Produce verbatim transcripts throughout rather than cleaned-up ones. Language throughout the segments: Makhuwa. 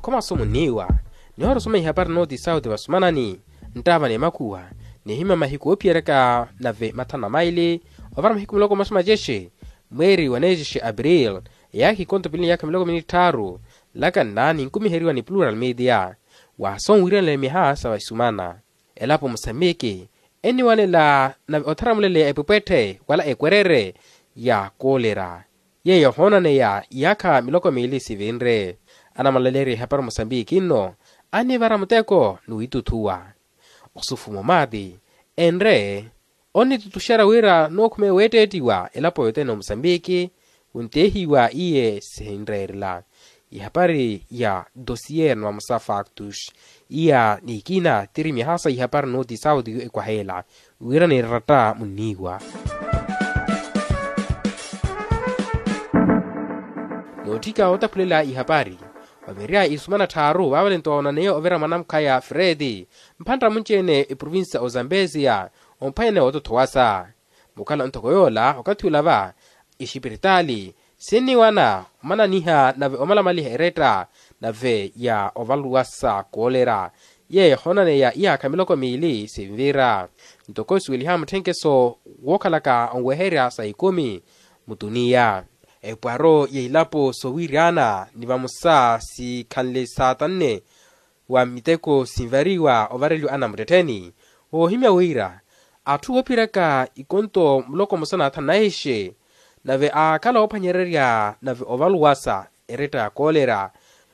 Khomaso muniiwa nihoora osoma ihapari nooti sauti vasumanani nttaava n'emakhuwa. Nihimya mahiku oophiyeryaka nave mathanu na maili ovara mahiku miloko mosa macexe mweeri wa neexexe april, eyaakha ikonto pili ni yaakha miloko mili ni tthaaru. Laka nna ninkumiheriwa ni plural media wa sonwiiranela miha sa vasumana. Elapo musambiki enniwanela nave ottharamuleleya epwepwetthe wala ekwerere ya koolera yeeyo ehoonaneya iyaakha miloko miili sivinre. Anamalaleerya ihapari musambiki nno annivara muteko ni wiitutthuwa osufumo maati enre onnitutuxerya wira nookhumeya weetteettiwa elapo yothene omusambiki. Wunteehiwa iye sihinreerela ihapari ya dosier ni vamosa factus iya n'ikina tiri mihaasa ihapari nooti sauti yo ekwaheela wira niratta munniiwa. Nootthika ootaphulela ihapari ovirya isumana tthaaru vaavalento woonaneya ovira mwanamkhaya fredi mphantta munci-ene eprovincia ozambesia omphwanyane wootothowasa. Mukhala ntoko yoola okathi ula va ixipiritaali sinniwana omananiha nave omalamaliha eretta nave ya ovaluwasa koolera yeeyo ehoonaneya iyaakha miloko miili sinvira. Ntoko isuweliha mutthenkeso wookhalaka onweherya sa ikumi mutuniya epwaro ya ilapo soowiryana ni vamosa sikhanle saatanne wa miteko sinvariwa ovareliwa anamuttettheni woohimya wira atthu oophiryaka ikonto muloko mosa na athanu na ixe nave aakhala oophwanyererya nave ovaluwasa eretta ya koolera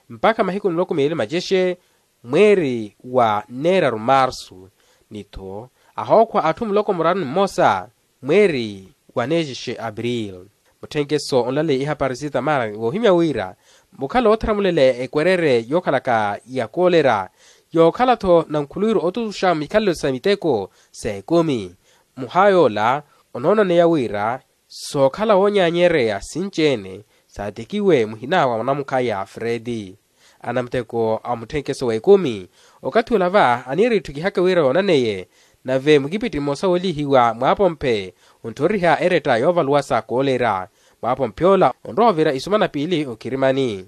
mpakha mahiku miloko miili macexe mweeri wa neeraru marsu ni-tho ahookhwa atthu muloko muraru ni mmosa mweeri wa neexexe april. Mutthenkeso onlaleya ihapari sitamara woohimya wira mukhala oottharamuleleya ekwerere yookhalaka ya koolera yookhala-tho nankhuluwiru otutuxa mikhalelo sa miteko sa ekumi muha yoola onoonaneya wira sookhala woonyaanyereya sinci-ene saatekiwe muhina wa mwanamukhaya fredi. Anamuteko a mutthenkeso wa ekumi okathi ula va aniira itthukihaka wira yoonaneye nave mukipiti mmosa woolihiwa mwaapomphe ontthoriha eretta yoovaluwasa koolera mwaapomphe ola onrowa ovira isumana piili okhirimani.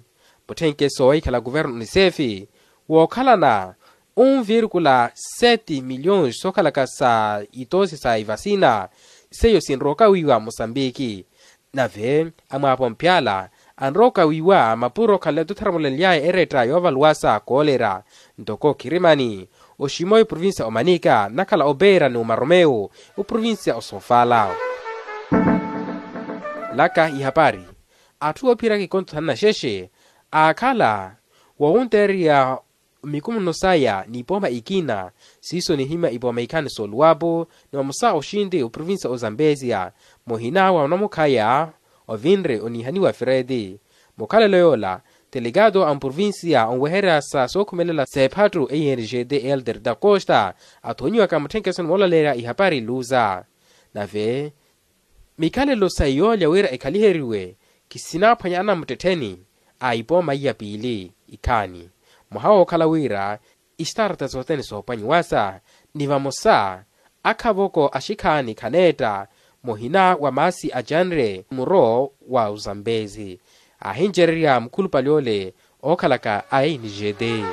Mutthenkeso wahikhala kuverno unisefi wookhalana onvirkula seti miliyons sookhalaka sa itosi sa ivasina seiyo sinroka wiiwa musambiki nave amwaapomphe ala anroka wiiwa mapuro okhanle tottharamulelyaye eretta yoovaluwasa koolera ntoko khirimani oximoyo provincia omanika nakhala opeera ni omaromeo oprovincia osofala. Laka ihapari atthu oophiryaka ikonto thanu na xexe aakhala wowunteererya mikumunno saya n'ipooma ikina siiso nihimya ipooma ikhani sooluwapo ni vamosa oxinti oprovincia ozambesia muhina wa onamukhaya ovinre oniihaniwa fredi. Mukhalelo yoola telegado a mprovincia onweherya sa sookhumelela s'ephattu e n g d elder da costa athonyiwaka mutthenkeso ni moolaleerya ihapari luza nave mikhalelo sa yoolya wira ekhaliheriwe khisinaaphwanya anamuttettheni a ipooma iya piili ikhaani mwaha wookhala wira istarta sothene soophwanyiwasa ni vamosa akhavoko axikhaani khaneetta muhina wa maasi acanre muro wa uzambezi aahincererya mukhulupale ole ookhalaka a n g d.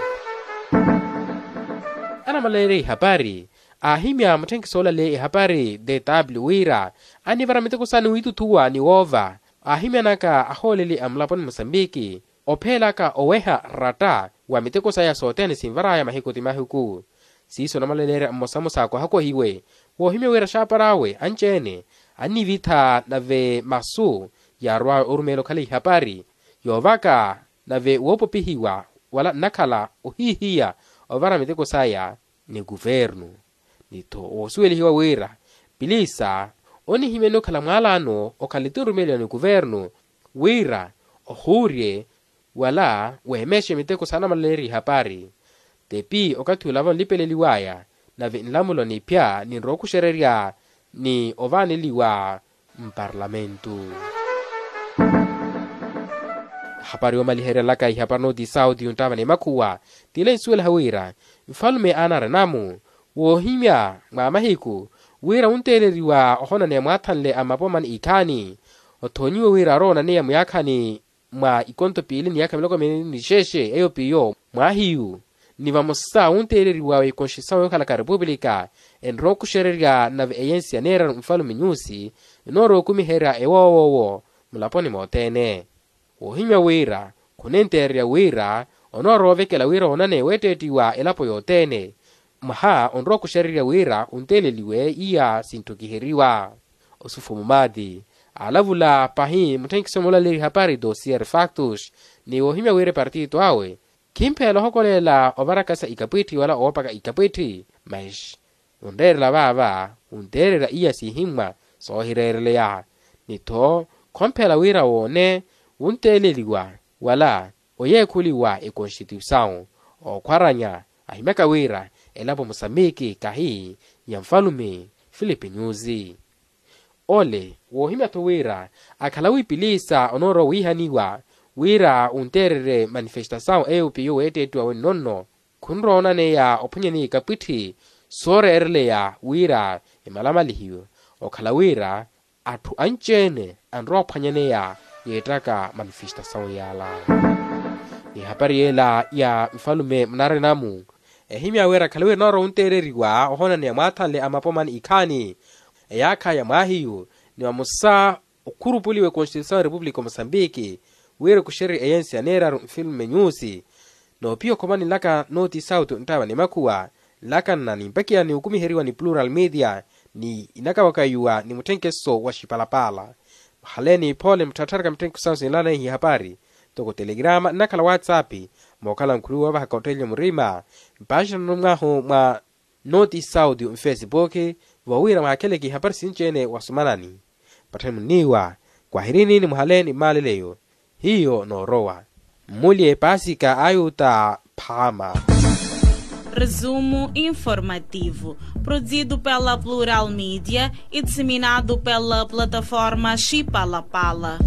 Anamaleerya ihapari aahimya mutthenkiso olaleya ihapari dw wira anivara miteko saani wiituthuwa ni woova aahimyanaka ahooleli a mulaponi musambiki opheelaka oweha ratta wa miteko saya sothene sinvaraya mahiku ti mahiku. Siiso namalaleerya mmosamosa akwahakohiwe woohimya wira axaapar'awe anci-ene annivitha nave masu yaarw'awe orumeela okhala ihapari yoovaka nave woopopihiwa wala nnakhala ohihiya ovara miteko saya ni kuvernu. Ni-tho woosuwelihiwa wira pilisa onihimyani okhala mwaalaano okhala etinrumeeliwa ni kuvernu wira ohuurye wala weemexe miteko saana malaleerya ihapari tepi okathi olava onlipeleliwaya nave nlamulo niphya ninrowa okuxererya ni ovaaneliwa mparlamentu. Ehapari yoomaliherya laka ihapari nooti sauti yonttaava n'emakhuwa tile nsuwelaha wira nfalume aana arenamu woohimya mwa mahiku wira wunteeleriwa ohonaneya mwaathanle a mapomani ikhaani othonyiwe wira aroonaneya muyaakhani mwa ikonto piili ni yaakha miloko miili ni xeexe eyo piyo mwaahiyu, ni vamosa wunteeleriwa w'ekonstituisawu yookhalaka repupulika enrowa okuxererya nave eyensi ya neeraru nfalume nyusi enoorowa okumiherya ewoowoowo mulaponi mothene. Woohimya wira khunenteererya wira onoorowa ovekela wira woonane weetteettiwa elapo yothene. Mwaha onrowa okuxererya wira onteeleliwe iya sintthu kiheriwa. Osufumu maati aalavula pahi mutthenkiso mulaleeri hapari dossier factus, ni woohimya wira epartito awe khimphela ohokolela ovarakasa ikapwitthi wala oopaka ikapwitthi. Mas onreerela vaava onteererya iya siihimmwa soohireereleya. Ni-tho khomphela wira woone wunteeleliwa wala oyeekhuliwa ekonstituisawu ookhwaranya ahimyaka wira elapo musambiki kahi ya nfalume filipe nyusi. Ole woohimya-tho wira akhala wiipiliisa onoorowa wiihaniwa wira wunteererye manifestasawu eyo piyo weetteettiwa wenno-nno khunrowa onaneya ophwanyaneya ikapwitthi sooreereleya wira emalamalihiwe okhala wira atthu anci-ene anrowa ophwanyaneya yeettaka manifestasawu yala. Ni hapari yela ya nfalume munarina-mu ehimya wira akhala wira enoorowa wunteereriwa ohonaneya mwaathanle a mapomani ikhaani eyaakha ya mwaahiyu ni vamosa okhurupuliwa ekonstituisawu ya repupulika o mosambiki wira ekuxererye eyensi ya neeraru nfilme nyusi. Noopiya okhomani nlaka nooti sauti onttaava ni makhuwa nlakanna ni mpakiya ni okumiheriwa ni plural media ni inakawakayiwa ni mutthenkeso wa xipalapala. Muhaleeni phoole muttharattharaka mutthenkeso sinlanehi hapari ntoko telegrama nnakhala whatsapp mookhala nkhuluwa ovahaka ottelya murima mpaaxana numwahu mwa nooti sauti nfesipuki vowira mwaakheleke ihapari sinci-ene wasumanani. Patthani munniiwa kwahirini ni muhaleeni mmaaleleyo hiyo noorowa mmulye paasika a ayuta phaama. Resumo informativo produzido pela plural media e disseminado pela plataforma xipalapala.